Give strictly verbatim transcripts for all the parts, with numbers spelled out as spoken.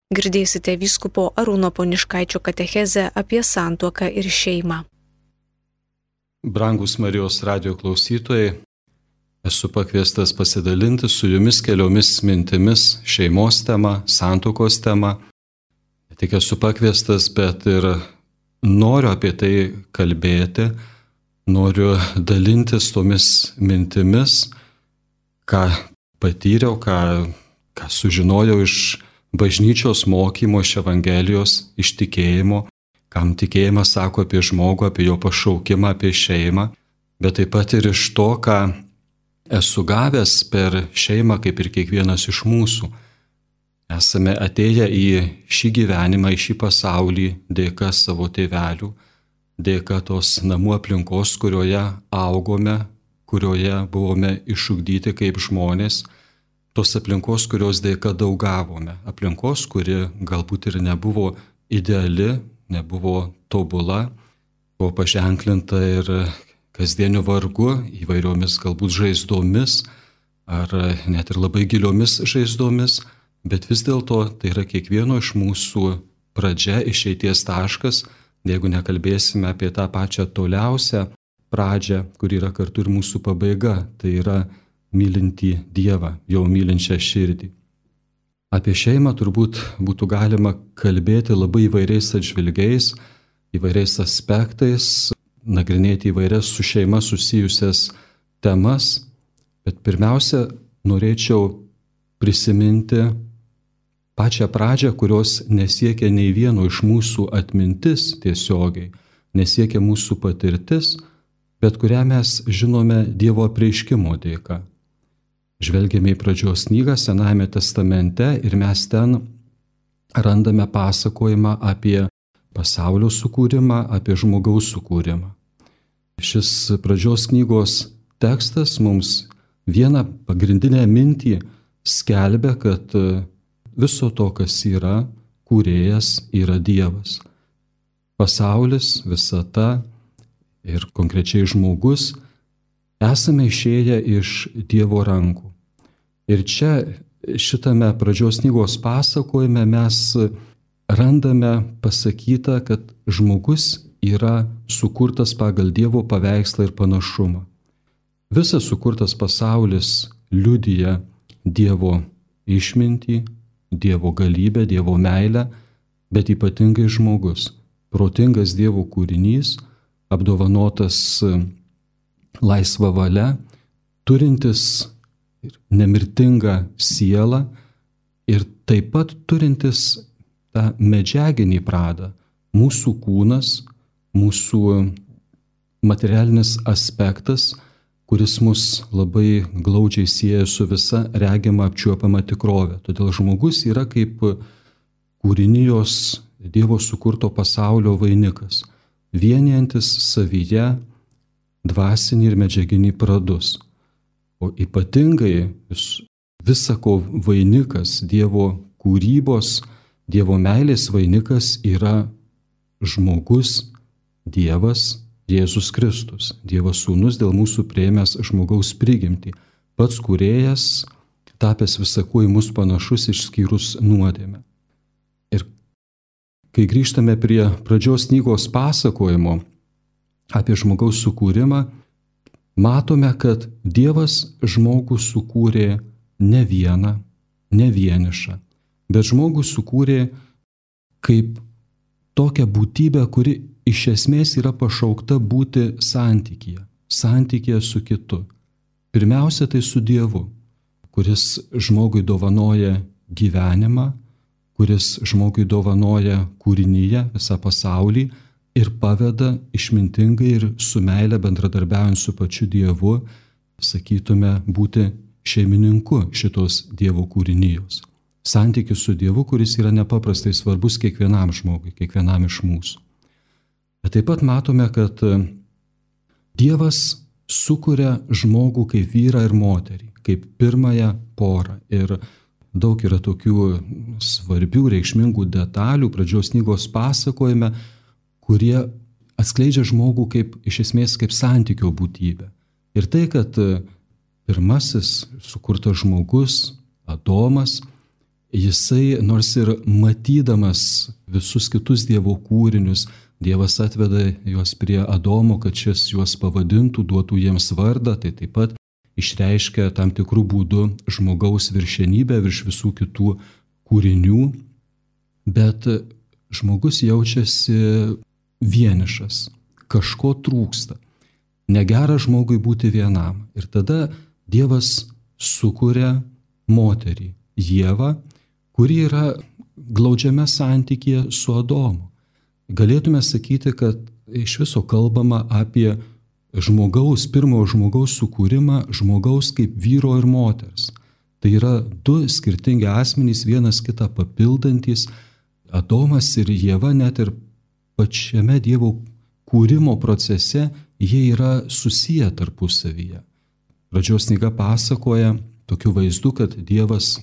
Girdėsite vyskupo Arūno Poniškaičio katechezę apie santuoką ir šeimą. Brangus Marijos radijo klausytojai, esu pakviestas pasidalinti su jumis keliomis mintimis šeimos tema, santuokos tema. Ne tik esu pakviestas, bet ir noriu apie tai kalbėti, noriu dalintis tomis mintimis, ką patyriau, ką, ką sužinojau iš bažnyčios mokymo, iš Evangelijos, iš tikėjimo, kam tikėjimas sako apie žmogų, apie jo pašaukimą, apie šeimą, bet taip pat ir iš to, ką esu gavęs per šeimą, kaip ir kiekvienas iš mūsų. Esame atėję į šį gyvenimą, į šį pasaulį dėka savo tėvelių, dėka tos namų aplinkos, kurioje augome, kurioje buvome išugdyti kaip žmonės, tos aplinkos, kurios dėka daug gavome. Aplinkos, kuri galbūt ir nebuvo ideali, nebuvo tobula, buvo paženklinta ir kasdieniu vargu, įvairiomis galbūt žaizdomis, ar net ir labai giliomis žaizdomis, bet vis dėlto tai yra kiekvieno iš mūsų pradžia, išeities taškas, jeigu nekalbėsime apie tą pačią toliausią pradžią, kur yra kartu ir mūsų pabaiga, tai yra mylintį Dievą, jo mylinčią širdį. Apie šeimą turbūt būtų galima kalbėti labai įvairiais atžvilgiais, įvairiais aspektais, nagrinėti įvairias su šeima susijusias temas, bet pirmiausia, norėčiau prisiminti pačią pradžią, kurios nesiekia nei vieno iš mūsų atmintis tiesiogiai, nesiekia mūsų patirtis, bet kurią mes žinome Dievo apreiškimo dėka. Žvelgiame į pradžios knygą Senajame testamente ir mes ten randame pasakojimą apie pasaulio sukūrimą, apie žmogaus sukūrimą. Šis pradžios knygos tekstas mums vieną pagrindinę mintį skelbia, kad viso to, kas yra, kūrėjas yra Dievas. Pasaulis, visata ir konkrečiai žmogus esame išėję iš Dievo rankų. Ir čia šitame pradžios knygos pasakojime mes randame pasakyta, kad žmogus yra sukurtas pagal Dievo paveikslą ir panašumą. Visas sukurtas pasaulis liudija Dievo išmintį, Dievo galybę, Dievo meilę, bet ypatingai žmogus, protingas Dievo kūrinys, apdovanotas laisva valia, turintis nemirtingą sielą ir taip pat turintis tą medžiaginį pradą, mūsų kūnas, mūsų materialinis aspektas, kuris mus labai glaudžiai sieja su visa regima apčiuopiama tikrovė. Todėl žmogus yra kaip kūrinijos Dievo sukurto pasaulio vainikas, vienijantis savyje dvasinį ir medžiaginį pradus. O ypatingai visako vainikas, Dievo kūrybos, Dievo meilės vainikas yra žmogus, Dievas, Jėzus Kristus, Dievo sūnus dėl mūsų priėmęs žmogaus prigimtį, pats kūrėjas, tapęs visakuo į mus panašus išskyrus nuodėmę. Ir kai grįžtame prie pradžios knygos pasakojimo apie žmogaus sukūrimą, matome, kad Dievas žmogų sukūrė ne vieną, ne vienišą, bet žmogų sukūrė kaip tokią būtybę, kuri iš esmės yra pašaukta būti santykyje, santykyje su kitu. Pirmiausia, tai su Dievu, kuris žmogui dovanoja gyvenimą, kuris žmogui dovanoja kūrinyje visą pasaulį ir paveda išmintingai ir su meile bendradarbiaujant su pačiu Dievu, sakytume, būti šeimininku šitos Dievo kūrinijos. Santykis su Dievu, kuris yra nepaprastai svarbus kiekvienam žmogui, kiekvienam iš mūsų. Bet taip pat matome, kad Dievas sukuria žmogų kaip vyrą ir moterį, kaip pirmąją porą. Ir daug yra tokių svarbių, reikšmingų detalių pradžios knygos pasakojime, kurie atskleidžia žmogų kaip, iš esmės, kaip santykio būtybę. Ir tai, kad pirmasis sukurtas žmogus, Adomas, jisai nors ir matydamas visus kitus Dievo kūrinius, Dievas atveda juos prie Adomo, kad šis juos pavadintų, duotų jiems vardą, tai taip pat išreiškia tam tikrų būdų žmogaus viršenybę virš visų kitų kūrinių, bet žmogus jaučiasi vienišas, kažko trūksta. Negera žmogui būti vienam. Ir tada Dievas sukuria moterį, Ievą, kuri yra glaudžiame santykyje su Adomu. Galėtume sakyti, kad iš viso kalbama apie žmogaus, pirmojo žmogaus sukūrimą, žmogaus kaip vyro ir moters. Tai yra du skirtingi asmenys, vienas kitą papildantys. Adomas ir Ieva net ir pačiame Dievo kūrimo procese jie yra susiję tarpusavyje. Pradžios knyga pasakoja tokiu vaizdu, kad Dievas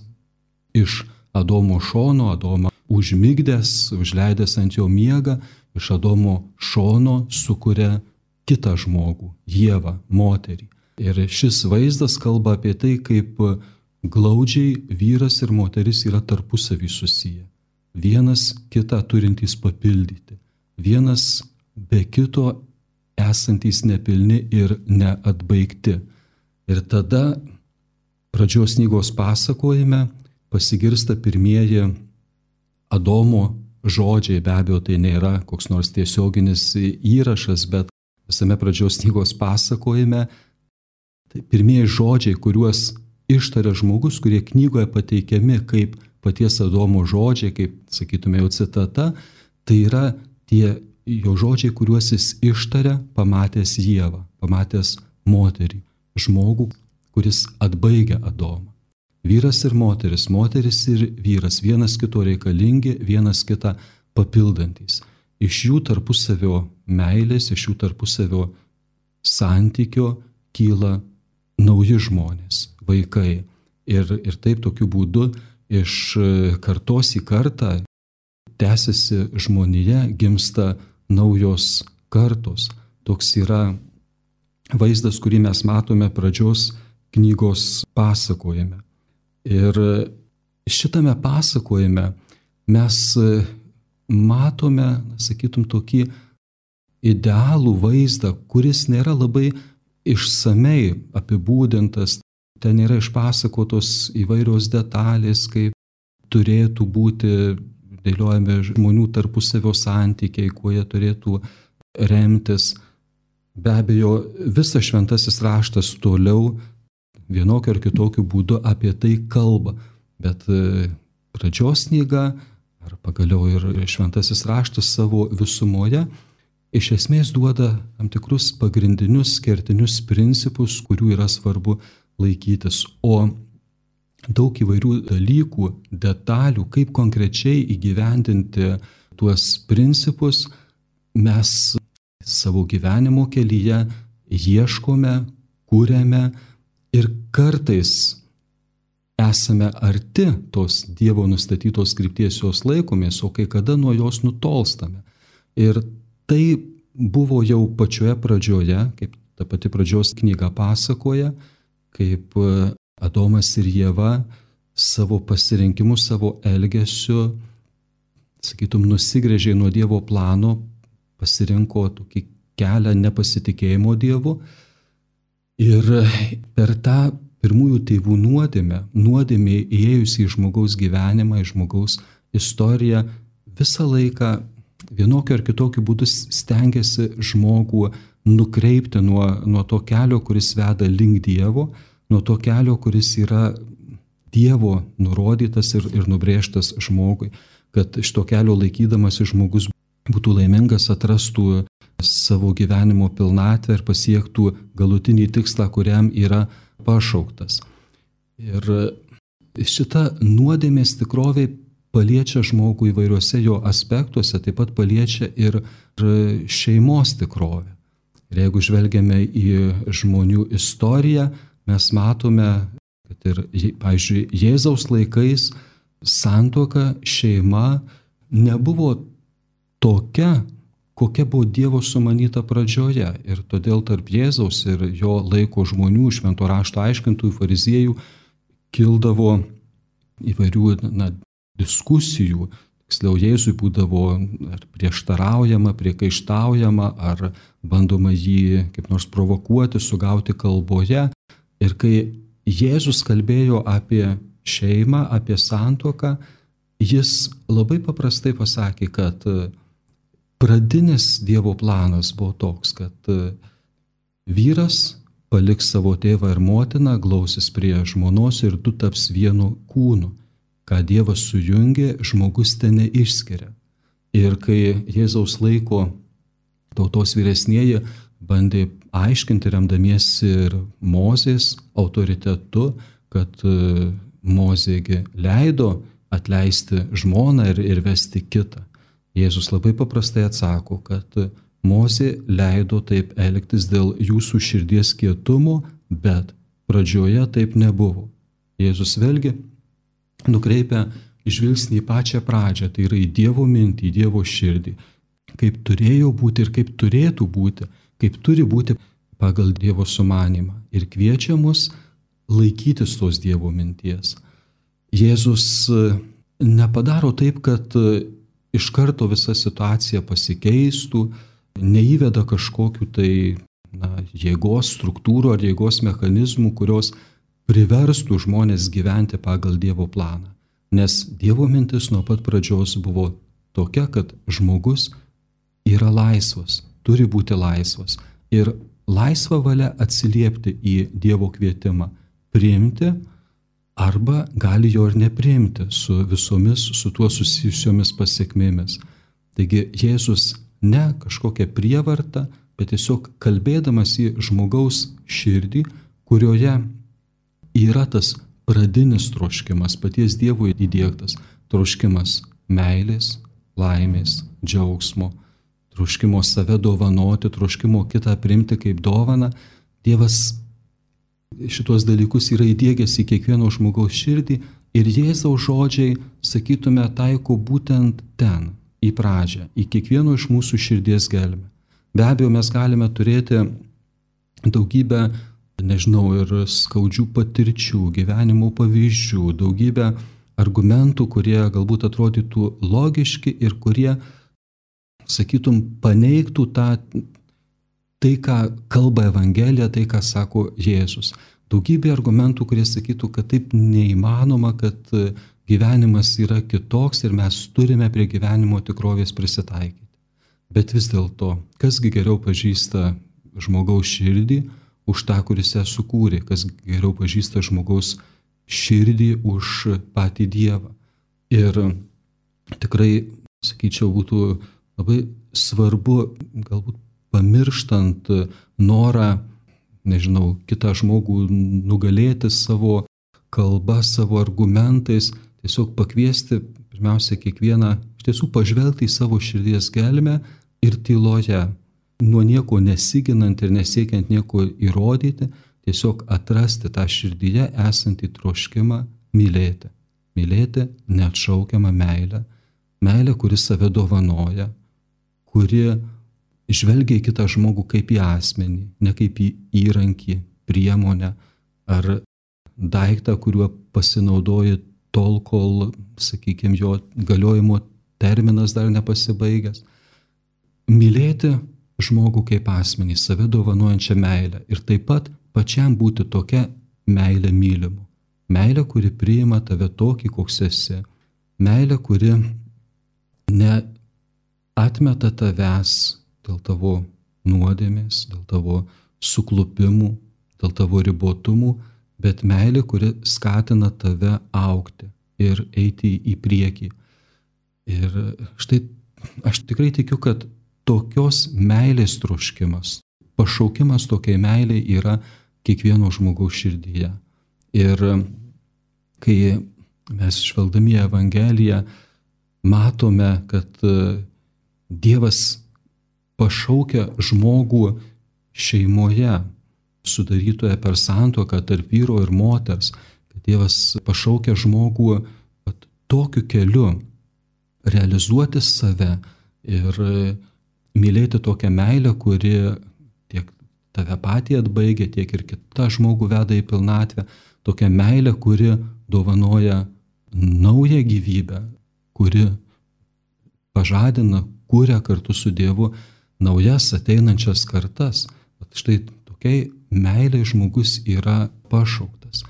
iš Adomo šono, Adomą užmigdęs, užleidęs ant jo miegą, iš Adomo šono sukuria kitą žmogų, Ievą, moterį. Ir šis vaizdas kalba apie tai, kaip glaudžiai vyras ir moteris yra tarpusavy susiję. Vienas kitą turintys papildyti, vienas be kito esantys nepilni ir neatbaigti. Ir tada pradžios knygos pasakojime pasigirsta pirmieji Adomo žodžiai, be abejo tai nėra koks nors tiesioginis įrašas, bet visame pradžios knygos pasakojime tai pirmieji žodžiai, kuriuos ištaria žmogus, kurie knygoje pateikiami kaip paties Adomo žodžiai, kaip sakytume jau citata, tai yra tie jo žodžiai, kuriuos jis ištaria pamatęs Ievą, pamatęs moterį, žmogų, kuris atbaigia Adomą. Vyras ir moteris, moteris ir vyras, vienas kito reikalingi, vienas kitą papildantys. Iš jų tarpusavio meilės, iš jų tarpusavio santykio kyla nauji žmonės, vaikai. Ir, ir taip tokiu būdu iš kartos į kartą tęsiasi žmonija, gimsta naujos kartos. Toks yra vaizdas, kurį mes matome pradžios knygos pasakojime. Ir šitame pasakojime mes matome, sakytum, tokį idealų vaizdą, kuris nėra labai išsamei apibūdintas. Ten yra išpasakotos įvairios detalės, kaip turėtų būti dėliojami žmonių tarpusavio santykiai, kuo jie turėtų remtis. Be abejo, visas šventasis raštas toliau vienokiu ar kitokiu būdu apie tai kalba, bet pradžios knyga, ar pagaliau ir šventasis raštas savo visumoje, iš esmės duoda tam tikrus pagrindinius kertinius principus, kurių yra svarbu laikytis, o daug įvairių dalykų, detalių, kaip konkrečiai įgyvendinti tuos principus, mes savo gyvenimo kelyje ieškome, kūrėme ir kartais esame arti tos Dievo nustatytos krypties, jos laikomės, o kai kada nuo jos nutolstame. Ir tai buvo jau pačioje pradžioje, kaip ta pati pradžios knyga pasakoja, kaip Adomas ir Ieva savo pasirinkimu, savo elgesiu, sakytum, nusigręžė nuo Dievo plano, pasirinko tokį kelią nepasitikėjimo Dievu. Ir per tą pirmųjų tėvų nuodėmę, nuodėmė įėjusi į žmogaus gyvenimą, į žmogaus istoriją, visą laiką vienokiu ar kitokiu būdu stengiasi žmogų nukreipti nuo, nuo to kelio, kuris veda link Dievo, nuo to kelio, kuris yra Dievo nurodytas ir, ir nubrėžtas žmogui, kad iš to kelio laikydamas žmogus būtų laimingas, atrastų savo gyvenimo pilnatvę ir pasiektų galutinį tikslą, kuriam yra pašauktas. Ir šita nuodėmės tikrovė paliečia žmogų įvairiuose jo aspektuose, taip pat paliečia ir šeimos tikrovę. Ir jeigu žvelgiame į žmonių istoriją, mes matome, kad ir, pavyzdžiui, Jėzaus laikais santuoka, šeima nebuvo tokia, kokia buvo Dievo sumanyta pradžioje. Ir todėl tarp Jėzaus ir jo laiko žmonių, švento rašto aiškintojų, fariziejų, kildavo įvairių na, diskusijų. Tiksliau, Jėzui būdavo ar prieštaraujama, priekaištaujama, ar bandoma jį kaip nors provokuoti, sugauti kalboje. Ir kai Jėzus kalbėjo apie šeimą, apie santuoką, jis labai paprastai pasakė, kad pradinis Dievo planas buvo toks, kad vyras paliks savo tėvą ir motiną, glausis prie žmonos ir du taps vienu kūnu. Ką Dievas sujungė, žmogus ten neišskiria. Ir kai Jėzaus laiko tautos vyresnieji bandė aiškinti, remdamiesi ir Mozės autoritetu, kad Mozėgi leido atleisti žmoną ir, ir vesti kitą. Jėzus labai paprastai atsako, kad Mozė leido taip elgtis dėl jūsų širdies kietumo, bet pradžioje taip nebuvo. Jėzus vėlgi nukreipia žvilgsnį į pačią pradžią, tai yra į Dievo mintį, į Dievo širdį, kaip turėjo būti ir kaip turėtų būti, kaip turi būti pagal Dievo sumanymą ir kviečia mus laikytis tos Dievo minties. Jėzus nepadaro taip, kad iš karto visa situacija pasikeistų, neįveda kažkokių tai na, jėgos struktūrų ar jėgos mechanizmų, kurios priverstų žmonės gyventi pagal Dievo planą. Nes Dievo mintis nuo pat pradžios buvo tokia, kad žmogus yra laisvas, turi būti laisvas. Ir laisva valia atsiliepti į Dievo kvietimą, priimti arba gali jo ir nepriimti su visomis su tuo susijusiomis pasiekmėmis. Taigi Jėzus ne kažkokia prievarta, bet tiesiog kalbėdamas į žmogaus širdį, kurioje yra tas pradinis troškimas, paties Dievo įdiegtas troškimas meilės, laimės, džiaugsmo, troškimo save dovanoti, troškimo kitą priimti kaip dovaną. Dievas šitos dalykus yra įdiegęs į kiekvieno žmogaus širdį ir Jėzaus žodžiai, sakytume, taiko būtent ten, į pradžią, į kiekvieno iš mūsų širdies gelmę. Be abejo, mes galime turėti daugybę nežinau, ir skaudžių patirčių, gyvenimo pavyzdžių, daugybę argumentų, kurie galbūt atrodytų logiški ir kurie, sakytum, paneigtų tą, tai, ką kalba Evangelija, tai, ką sako Jėzus. Daugybė argumentų, kurie sakytų, kad taip neįmanoma, kad gyvenimas yra kitoks ir mes turime prie gyvenimo tikrovės prisitaikyti. Bet vis dėlto, kasgi geriau pažįsta žmogaus širdį, už tą, kuris ją sukūrė, kas geriau pažįsta žmogaus širdį už patį Dievą. Ir tikrai, sakyčiau, būtų labai svarbu, galbūt pamirštant norą, nežinau, kitą žmogų nugalėti savo kalba, savo argumentais, tiesiog pakviesti pirmiausia kiekvieną, iš tiesų pažvelgti į savo širdies gelmę ir tyloje, nuo nieko nesiginant ir nesiekiant nieko įrodyti, tiesiog atrasti tą širdyje esantį troškimą mylėti. Mylėti neatšaukiamą meilę, meilę, kuri save dovanoja, kuri žvelgia į kitą žmogų kaip į asmenį, ne kaip į įrankį, priemonę ar daiktą, kuriuo pasinaudoji tol, kol, sakykime, jo galiojimo terminas dar nepasibaigęs. Mylėti žmogų kaip asmenį, save dovanojančią meilę ir taip pat pačiam būti tokia meilė mylimu. Meilė, kuri priima tave tokį, koks esi. Meilė, kuri neatmeta tavęs dėl tavo nuodėmės, dėl tavo suklupimų, dėl tavo ribotumų, bet meilė, kuri skatina tave augti ir eiti į priekį. Ir štai aš tikrai tikiu, kad tokios meilės troškimas, pašaukimas tokiai meiliai yra kiekvieno žmogaus širdyje. Ir kai mes žvelgdami į Evangeliją matome, kad Dievas pašaukia žmogų šeimoje, sudarytoje per santuoką tarp vyro ir moters, kad Dievas pašaukia žmogų tokiu keliu realizuoti save ir mylėti tokią meilę, kuri tiek tave patį atbaigia, tiek ir kitą žmogų veda į pilnatvę, tokią meilę, kuri dovanoja naują gyvybę, kuri pažadina, kuria kartu su Dievu naujas ateinančias kartas. Bet štai tokiai meiliai žmogus yra pašauktas.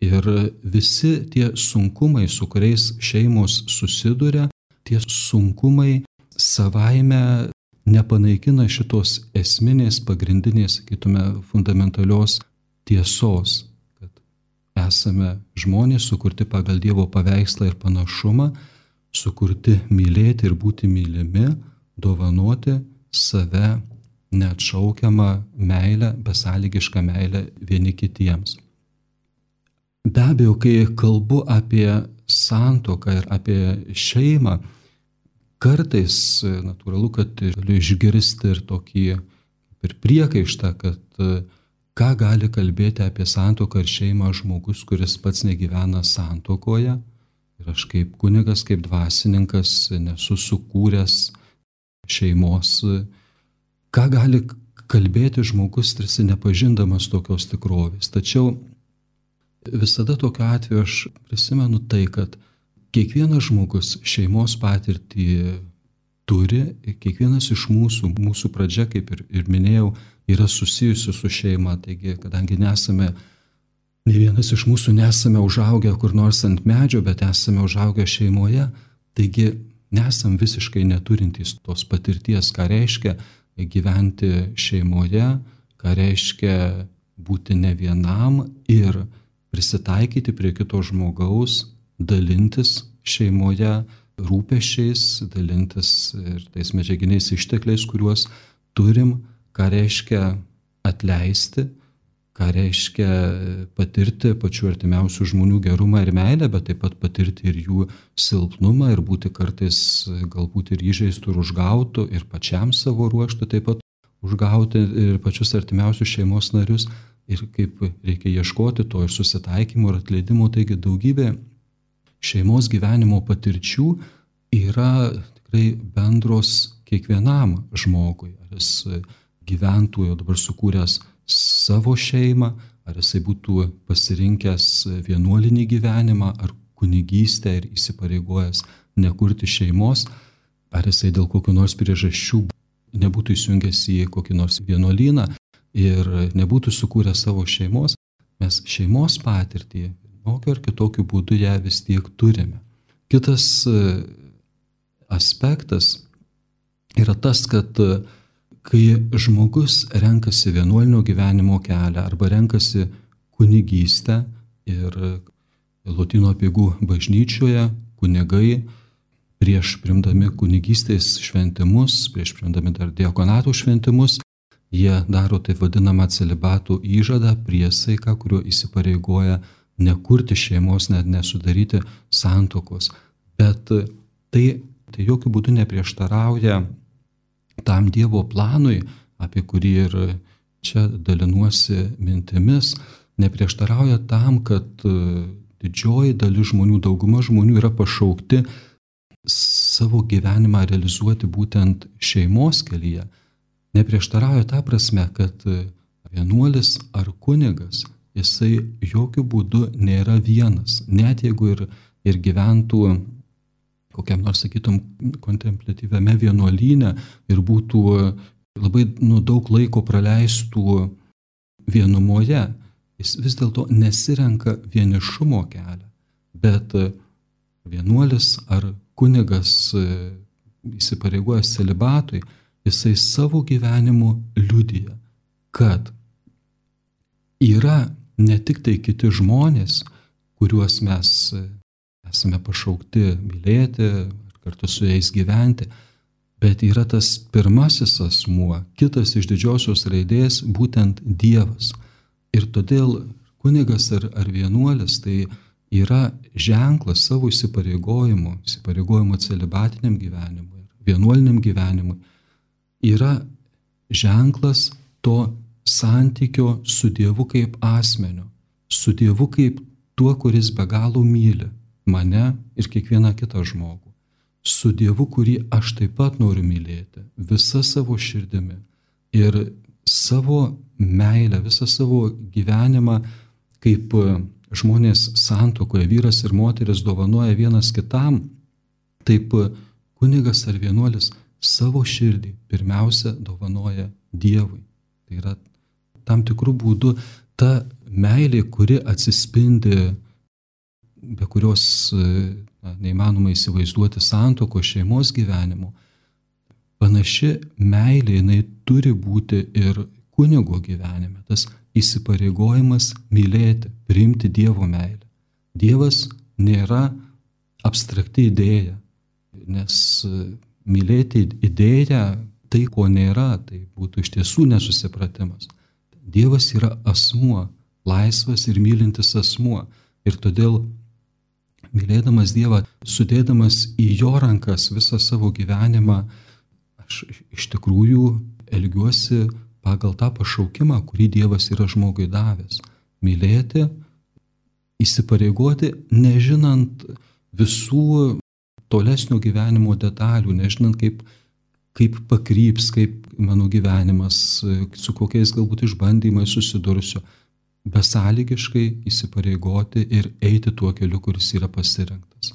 Ir visi tie sunkumai, su kuriais šeimos susiduria, tie sunkumai savaime nepanaikina šitos esminės, pagrindinės, sakytume, fundamentalios tiesos, kad esame žmonės sukurti pagal Dievo paveikslą ir panašumą, sukurti mylėti ir būti mylimi, dovanoti save neatšaukiamą meilę, besąlygišką meilę vieni kitiems. Be abejo, kai kalbu apie santuoką ir apie šeimą, kartais natūralu, kad galiu išgirsti ir tokį ir priekaištą, kad ką gali kalbėti apie santuoką ir šeimą žmogus, kuris pats negyvena santuokoje. Ir aš kaip kunigas, kaip dvasininkas nesu sukūręs šeimos. Ką gali kalbėti žmogus, tarsi nepažindamas tokios tikrovės. Tačiau visada tokiu atveju aš prisimenu tai, kad kiekvienas žmogus šeimos patirtį turi, kiekvienas iš mūsų, mūsų pradžia, kaip ir, ir minėjau, yra susijusi su šeima. Taigi, kadangi nesame, ne vienas iš mūsų nesame užaugę kur nors ant medžio, bet esame užaugę šeimoje, taigi nesam visiškai neturintys tos patirties, ką reiškia gyventi šeimoje, ką reiškia būti ne vienam ir prisitaikyti prie kito žmogaus, dalintis šeimoje rūpesčiais, dalintis ir tais medžiaginiais ištekliais, kuriuos turim, ką reiškia atleisti, ką reiškia patirti pačių artimiausių žmonių gerumą ir meilę, bet taip pat patirti ir jų silpnumą ir būti kartais galbūt ir įžeistų ir užgautų ir pačiam savo ruožtu taip pat užgauti ir pačius artimiausius šeimos narius. Ir kaip reikia ieškoti to ir susitaikymo ir atleidimo, taigi daugybė šeimos gyvenimo patirčių yra tikrai bendros kiekvienam žmogui. Ar jis gyventų jau dabar sukūręs savo šeimą, ar jisai būtų pasirinkęs vienuolinį gyvenimą, ar kunigystę ir įsipareigojęs nekurti šeimos, ar jisai dėl kokių nors priežasčių nebūtų įsijungęs į kokį nors vienuolyną ir nebūtų sukūrę savo šeimos, mes šeimos patirtį vienokiu ar kitokiu būdu ją vis tiek turime. Kitas aspektas yra tas, kad kai žmogus renkasi vienuolinio gyvenimo kelią arba renkasi kunigystę ir Lotynų apeigų bažnyčioje kunigai prieš priimdami kunigystės šventimus, prieš priimdami dar diakonatų šventimus, jie daro taip vadinamą celibatų įžadą, priesaiką, kuriuo įsipareigoja nekurti šeimos, net nesudaryti santuokos. Bet tai, tai jokių būdų neprieštarauja tam Dievo planui, apie kurį ir čia dalinuosi mintimis, neprieštarauja tam, kad didžioji dalis žmonių, dauguma žmonių yra pašaukti savo gyvenimą realizuoti būtent šeimos kelyje. Neprieštarauja tą prasme, kad vienuolis ar kunigas, jisai jokių būdų nėra vienas. Net jeigu ir, ir gyventų kokiam nors, sakytum, kontempliatyviame vienuolyne ir būtų labai nu, daug laiko praleistų vienumoje, jis vis dėlto nesirenka vienišumo kelią. Bet vienuolis ar kunigas įsipareigojęs celibatui, jisai savo gyvenimu liudija, kad yra ne tik tai kiti žmonės, kuriuos mes esame pašaukti mylėti ir kartu su jais gyventi, bet yra tas pirmasis asmuo, kitas iš didžiosios raidės, būtent Dievas. Ir todėl kunigas ar, ar vienuolis tai yra ženklas savo įsipareigojimo, įsipareigojimo celibatiniam gyvenimui, vienuoliniam gyvenimui, yra ženklas to santykio su Dievu kaip asmeniu, su Dievu kaip tuo, kuris be galo myli mane ir kiekvieną kitą žmogų, su Dievu, kurį aš taip pat noriu mylėti, visa savo širdimi ir savo meilę, visą savo gyvenimą kaip žmonės santuokoje, vyras ir moteris dovanoja vienas kitam, taip kunigas ar vienuolis savo širdį pirmiausia dovanoja Dievui. Tai yra tam tikrų būdų ta meilė, kuri atsispindi, be kurios na, neįmanoma įsivaizduoti santuokos šeimos gyvenimo. Panaši meilė, jinai turi būti ir kunigo gyvenime. Tas įsipareigojimas mylėti, priimti Dievo meilę. Dievas nėra abstrakti idėja, nes mylėti idėją, tai ko nėra, tai būtų iš tiesų nesusipratimas. Dievas yra asmuo, laisvas ir mylintis asmuo. Ir todėl, mylėdamas Dievą, sudėdamas į jo rankas visą savo gyvenimą, aš iš tikrųjų elgiuosi pagal tą pašaukimą, kurį Dievas yra žmogui davęs. Mylėti, įsipareigoti, nežinant visų tolesnio gyvenimo detalių, nežinant kaip, kaip pakryps, kaip mano gyvenimas, su kokiais galbūt išbandymais susidursiu, besąlygiškai įsipareigoti ir eiti tuo keliu, kuris yra pasirinktas.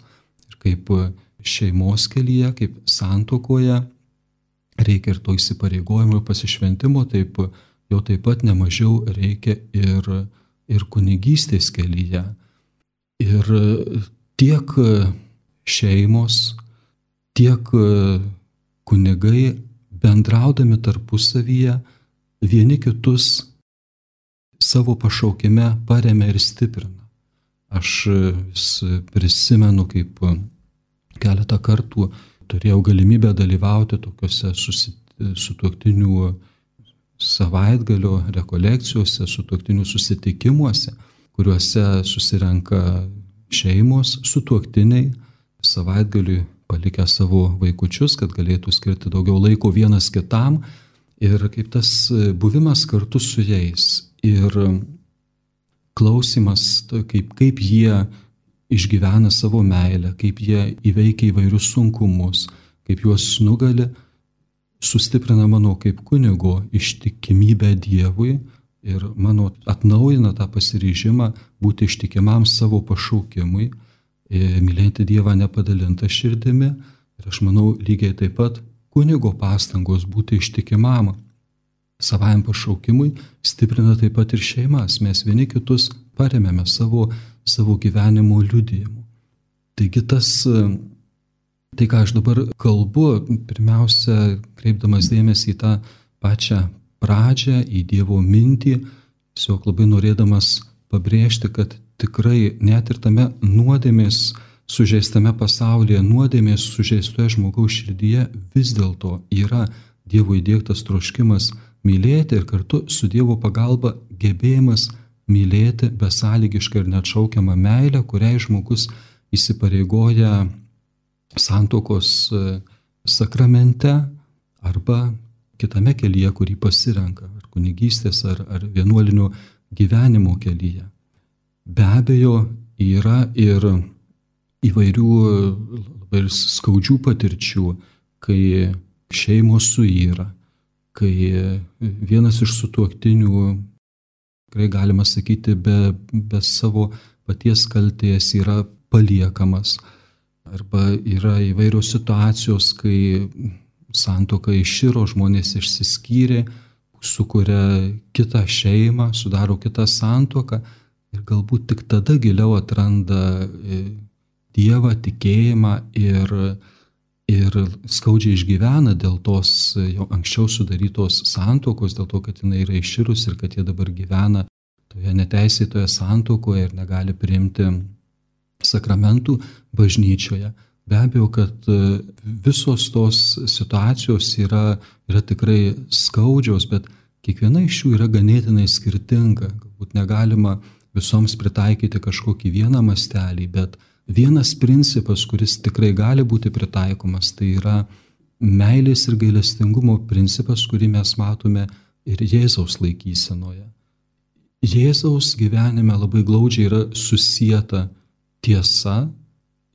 Ir kaip šeimos kelyje, kaip santuokoje, reikia ir to įsipareigojimo ir pasišventimo, taip jo taip pat nemažiau reikia ir, ir kunigystės kelyje. Ir tiek šeimos, tiek kunigai bendraudami tarpusavyje vieni kitus savo pašaukime paremia ir stiprina. Aš vis prisimenu, kaip keletą kartų turėjau galimybę dalyvauti tokiuose sutuoktinių savaitgalio rekolekcijose, sutuoktinių susitikimuose, kuriuose susirenka šeimos, sutuoktiniai, savaitgaliui palikę savo vaikučius, kad galėtų skirti daugiau laiko vienas kitam, ir kaip tas buvimas kartu su jais ir klausimas, kaip, kaip jie išgyvena savo meilę, kaip jie įveikia įvairius sunkumus, kaip juos nugali, sustiprina mano kaip kunigo ištikimybę Dievui ir mano atnaujina tą pasiryžimą būti ištikimam savo pašaukimui, mylėti Dievą nepadalintą širdimi. Ir aš manau, lygiai taip pat kunigo pastangos būti ištikimam savajam pašaukimui stiprina taip pat ir šeimas. Mes vieni kitus paremėme savo, savo gyvenimo liudijimu. Taigi tas, tai ką aš dabar kalbu, pirmiausia, kreipdamas dėmesį į tą pačią pradžią, į Dievo mintį, tiesiog labai norėdamas pabrėžti, kad tikrai net ir tame nuodėmės sužeistame pasaulyje, nuodėmės sužeistoje žmogaus širdyje vis dėlto yra Dievo įdiegtas troškimas mylėti ir kartu su Dievo pagalba gebėjimas mylėti besąlygišką ir neatšaukiamą meilę, kuriai žmogus įsipareigoja santuokos sakramente arba kitame kelyje, kurį pasirenka, ar kunigystės, ar, ar vienuolinio gyvenimo kelyje. Be abejo, yra ir įvairių labai skaudžių patirčių, kai šeimos suyra, kai vienas iš sutuoktinių, tikrai galima sakyti, be, be savo paties kaltės yra paliekamas. Arba yra įvairios situacijos, kai santuoka iširo, žmonės išsiskyrė, sukuria kitą šeimą, sudaro kitą santuoką ir galbūt tik tada giliau atranda Dievą, tikėjimą ir, ir skaudžiai išgyvena dėl tos jau anksčiau sudarytos santuokos, dėl to, kad jinai yra iširus ir kad jie dabar gyvena toje neteisėtoje santuokoje ir negali priimti sakramentų bažnyčioje. Be abejo, kad visos tos situacijos yra, yra tikrai skaudžios, bet kiekviena iš jų yra ganėtinai skirtinga. Galbūt negalima visoms pritaikyti kažkokį vieną mastelį, bet vienas principas, kuris tikrai gali būti pritaikomas, tai yra meilės ir gailestingumo principas, kurį mes matome ir Jėzaus laikysenoje. Jėzaus gyvenime labai glaudžiai yra susieta tiesa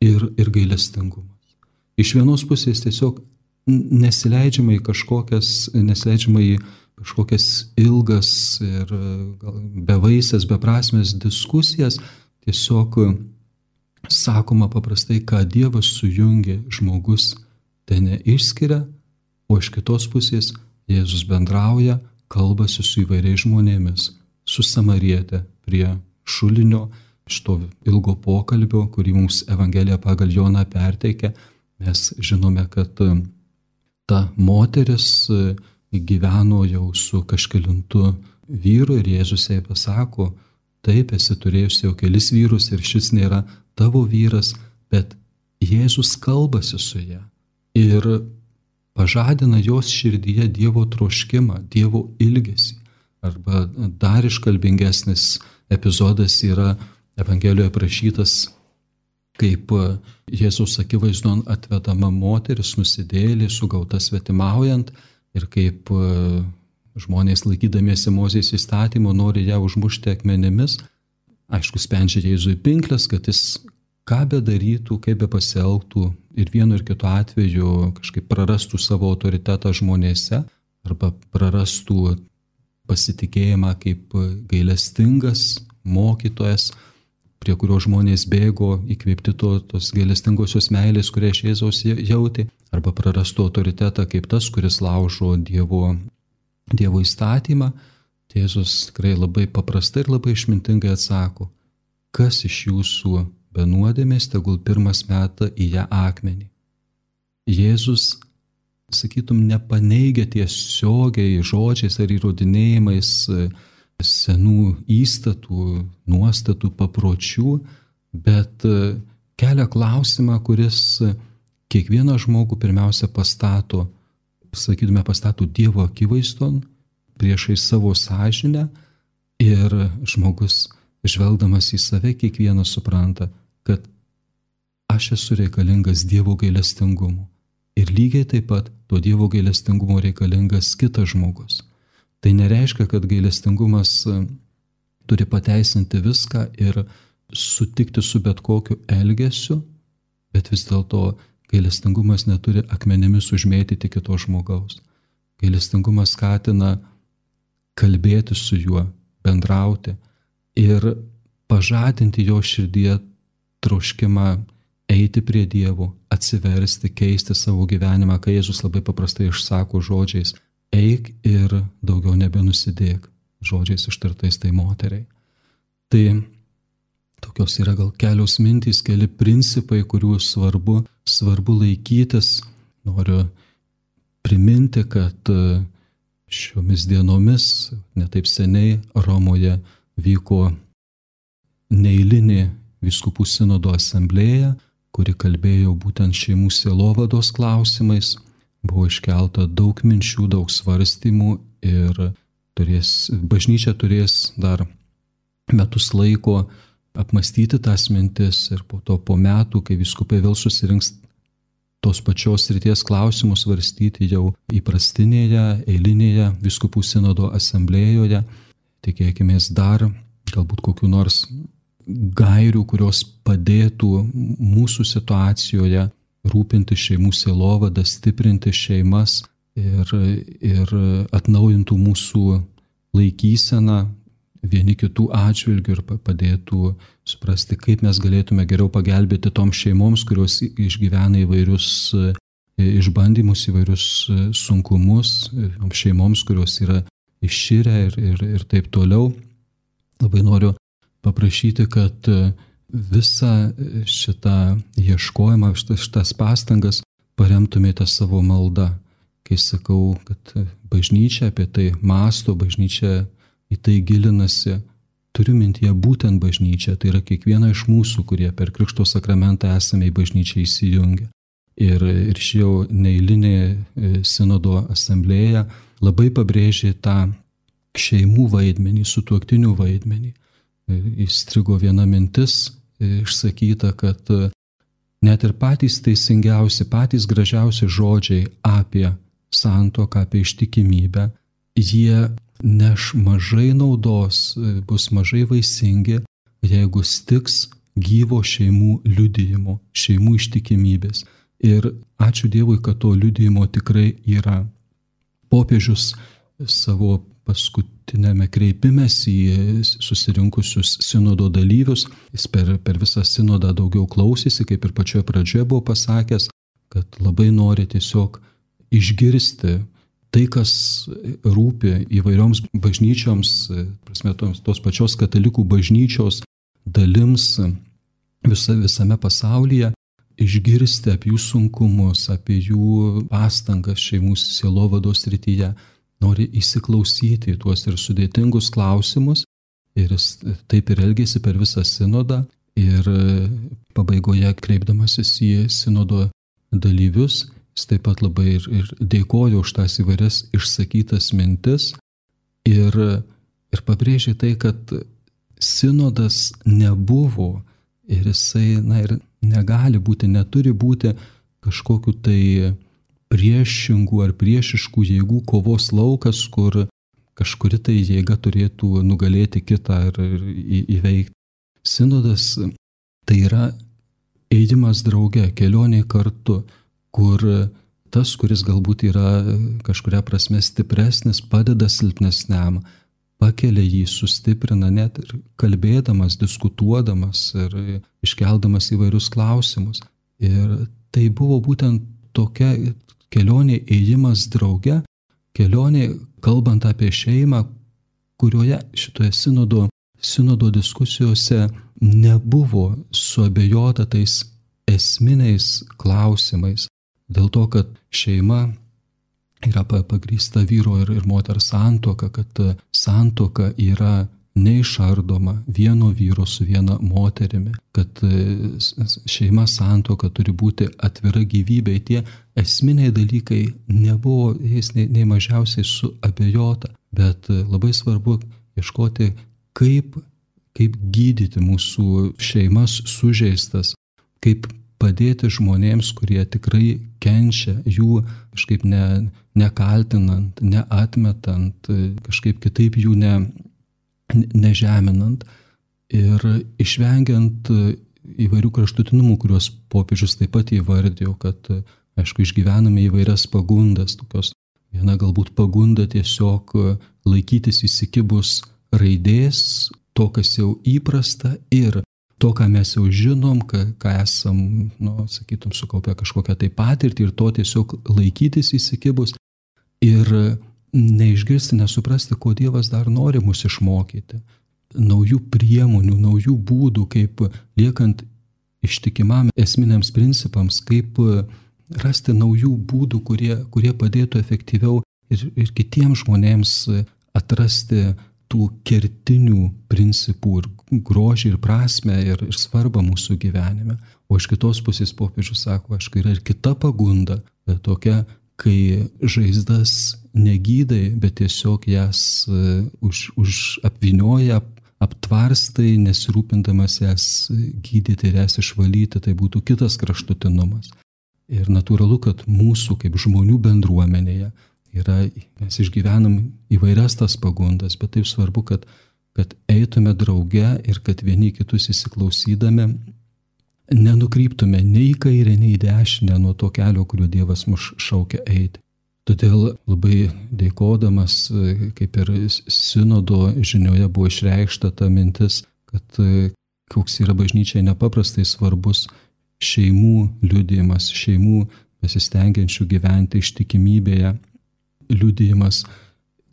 ir, ir gailestingumas. Iš vienos pusės tiesiog nesileidžiama į kažkokias, nesileidžiama į kažkokias ilgas ir bevaisės, beprasmės diskusijas, tiesiog sakoma paprastai, ką Dievas sujungė, žmogus tai neišskiria, o iš kitos pusės Jėzus bendrauja, kalbasi su įvairiais žmonėmis, su samariete prie šulinio, iš to ilgo pokalbio, kurį mums Evangelija pagal Joną perteikia. Mes žinome, kad ta moteris gyveno jau su kažkelintu vyru ir Jėzus jai pasako, taip, esi turėjusi jau kelis vyrus ir šis nėra tavo vyras, bet Jėzus kalbasi su ja ir pažadina jos širdyje Dievo troškimą, Dievo ilgesį. Arba dar iškalbingesnis epizodas yra Evangelijoje aprašytas, kaip Jėzaus akivaizdon atvedama moteris, nusidėjėlė, sugauta svetimaujant, ir kaip žmonės laikydamiesi Mozės įstatymo nori ją užmušti akmenimis. Aišku, spendžia Jėzui pinklės, kad jis ką bedarytų, kaip be pasielgtų ir vienu ir kitu atveju kažkaip prarastų savo autoritetą žmonėse arba prarastų pasitikėjimą kaip gailestingas mokytojas, prie kurio žmonės bėgo įkvėpti to, tos gailestingosios meilės, kurią iš Jėzaus jautė, arba prarastų autoritetą kaip tas, kuris laužo Dievo, dievo įstatymą. Jėzus tikrai labai paprastai ir labai išmintingai atsako, kas iš jūsų be nuodėmės, tegul pirmas meta į ją akmenį. Jėzus, sakytum, nepaneigia tiesiogiai žodžiais ar įrodinėjimais senų įstatų, nuostatų, papročių, bet kelia klausimą, kuris kiekvieną žmogų pirmiausia pastato, sakytume, pastato Dievo akivaizdon, priešai savo sąžinę, ir žmogus, žvelgdamas į save, kiekvienas supranta, kad aš esu reikalingas Dievo gailestingumu. Ir lygiai taip pat to Dievo gailestingumo reikalingas kitas žmogus. Tai nereiškia, kad gailestingumas turi pateisinti viską ir sutikti su bet kokiu elgesiu, bet vis dėlto gailestingumas neturi akmenimis užmėtyti kito žmogaus. Gailestingumas skatina kalbėti su juo, bendrauti ir pažadinti jo širdyje troškimą eiti prie Dievo, atsiversti, keisti savo gyvenimą, kai Jėzus labai paprastai išsako žodžiais: eik ir daugiau nebenusidėk, žodžiais ištartais tai moteriai. Tai tokios yra gal kelios mintys, keli principai, kurių svarbu, svarbu laikytis. Noriu priminti, kad šiomis dienomis, netaip seniai, Romoje vyko neeilinė vyskupų sinodo asamblėja, kuri kalbėjo būtent šeimų sielovados klausimais. Buvo iškelta daug minčių, daug svarstymų ir turės, bažnyčia turės dar metus laiko apmastyti tas mintis ir po to po metų, kai vyskupai vėl susirinks tos pačios srities klausimus svarstyti jau įprastinėje, eilinėje vyskupų sinodo asamblėjoje, tikėkimės dar galbūt kokių nors gairių, kurios padėtų mūsų situacijoje rūpinti šeimų sielovadą, stiprinti šeimas ir, ir atnaujintų mūsų laikyseną vieni kitų atžvilgių ir padėtų suprasti, kaip mes galėtume geriau pagelbėti toms šeimoms, kurios išgyvena įvairius išbandymus, įvairius sunkumus, šeimoms, kurios yra išširę ir, ir, ir taip toliau. Labai noriu paprašyti, kad visą šitą ieškojimą, šitas pastangas paremtumėte savo maldą. Kai sakau, kad bažnyčia apie tai mąsto, bažnyčia į tai gilinasi, turiu mintyje būtent bažnyčią, tai yra kiekviena iš mūsų, kurie per Krikšto sakramentą esame į bažnyčią įsijungę. Ir, ir ši jau neeilinė sinodo asamblėja labai pabrėžė tą šeimų vaidmenį, sutuoktinių vaidmenį. Įstrigo viena mintis išsakyta, kad net ir patys teisingiausi, patys gražiausi žodžiai apie santuoką, apie ištikimybę, jie neš mažai naudos, bus mažai vaisingi, jeigu stiks gyvo šeimų liudijimo, šeimų ištikimybės. Ir ačiū Dievui, kad to liudijimo tikrai yra. Popiežius savo paskutinėme kreipimesi į susirinkusius sinodo dalyvius. Jis per, per visą sinodą daugiau klausėsi, kaip ir pačioje pradžioje buvo pasakęs, kad labai nori tiesiog išgirsti tai, kas rūpi įvairioms bažnyčioms, prasme, tos, tos pačios katalikų bažnyčios dalims visa, visame pasaulyje, išgirsti apie jų sunkumus, apie jų pastangas šeimų sielovados srityje. Nori įsiklausyti į tuos ir sudėtingus klausimus ir jis taip ir elgėsi per visą sinodą ir pabaigoje kreipdamasis į sinodo dalyvius, jis taip pat labai ir, ir dėkojo už tas įvairias išsakytas mintis ir, ir pabrėžė tai, kad sinodas nebuvo ir jisai, na, ir negali būti, neturi būti kažkokiu tai priešingų ar priešiškų jėgų kovos laukas, kur kažkuri tai jėga turėtų nugalėti kitą ir, ir įveikti. Sinodas tai yra ėjimas drauge, kelionė kartu, kur tas, kuris galbūt yra kažkuria prasme stipresnis, padeda silpnesniam, pakelia jį, sustiprina net ir kalbėdamas, diskutuodamas ir iškeldamas įvairius klausimus. Ir tai buvo būtent tokia kelionė ėjimas drauge, kelionė kalbant apie šeimą, kurioje šitoje sinodo, sinodo diskusijose nebuvo suabejota tais esminiais klausimais. Dėl to, kad šeima yra pagrįsta vyro ir, ir moters santuoka, kad santuoka yra neišardoma vieno vyro su viena moterimi, kad šeima santuoka turi būti atvira gyvybei. Tie esminiai dalykai nebuvo jais nei, nei mažiausiai suabejota, bet labai svarbu ieškoti, kaip, kaip gydyti mūsų šeimas sužeistas, kaip padėti žmonėms, kurie tikrai kenčia, jų kažkaip ne, nekaltinant, neatmetant, kažkaip kitaip jų ne nežeminant ir išvengiant įvairių kraštutinumų, kuriuos popiežius taip pat įvardijo, kad, aišku, išgyvename įvairias pagundas, tokios viena galbūt pagunda tiesiog laikytis įsikibus raidės, to, kas jau įprasta ir to, ką mes jau žinom, ką, ką esam, nu, sakytum, sukaupę kažkokią tai patirtį ir to tiesiog laikytis įsikibus ir neišgirsti, nesuprasti, ko Dievas dar nori mus išmokyti. Naujų priemonių, naujų būdų, kaip liekant ištikimam esminiams principams, kaip rasti naujų būdų, kurie, kurie padėtų efektyviau ir, ir kitiems žmonėms atrasti tų kertinių principų ir grožį ir prasmę ir, ir svarbą mūsų gyvenime. O iš kitos pusės popiežius sako, aišku, yra ir kita pagunda, bet tokia, kai žaizdas negydai, bet tiesiog jas uh, už, už apvynioja, aptvarstai, nesirūpindamas jas gydyti ir jas išvalyti, tai būtų kitas kraštutinumas. Ir natūralu, kad mūsų kaip žmonių bendruomenėje yra, mes išgyvenam įvairias tas pagundas, bet taip svarbu, kad, kad eitume drauge ir kad vieni kitus įsiklausydami nenukryptume nei į kairę, nei į dešinę nuo to kelio, kuriuo Dievas mus šaukia eiti. Todėl labai dėkodamas, kaip ir sinodo žinioje buvo išreikšta ta mintis, kad koks yra bažnyčiai nepaprastai svarbus šeimų liudijimas, šeimų besistengiančių gyventi ištikimybėje liudijimas.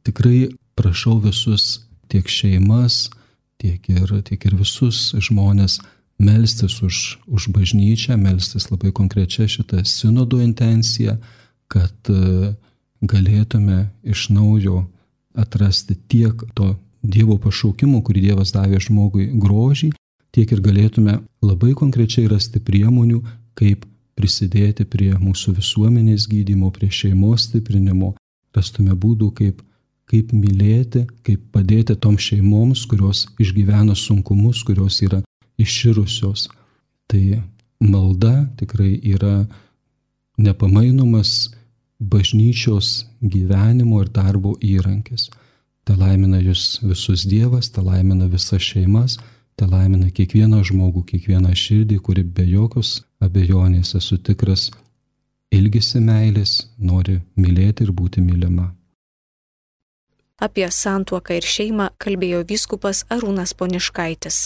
Tikrai prašau visus, tiek šeimas, tiek ir, tiek ir visus žmonės, melstis už, už bažnyčią, melstis labai konkrečia šitą sinodo intenciją, kad galėtume iš naujo atrasti tiek to Dievo pašaukimo, kurį Dievas davė žmogui grožį, tiek ir galėtume labai konkrečiai rasti priemonių, kaip prisidėti prie mūsų visuomenės gydymo, prie šeimos stiprinimo, rastume būdų, kaip, kaip mylėti, kaip padėti toms šeimoms, kurios išgyvena sunkumus, kurios yra iširusios. Tai malda tikrai yra nepamainomas bažnyčios gyvenimo ir darbo įrankis. Te laimina jūs visus Dievas, te laimina visas šeimas, te laimina kiekvieną žmogų, kiekvieną širdį, kuri be jokios abejonės, esu tikras, ilgisi meilės, nori mylėti ir būti mylima. Apie santuoką ir šeimą kalbėjo vyskupas Arūnas Poniškaitis.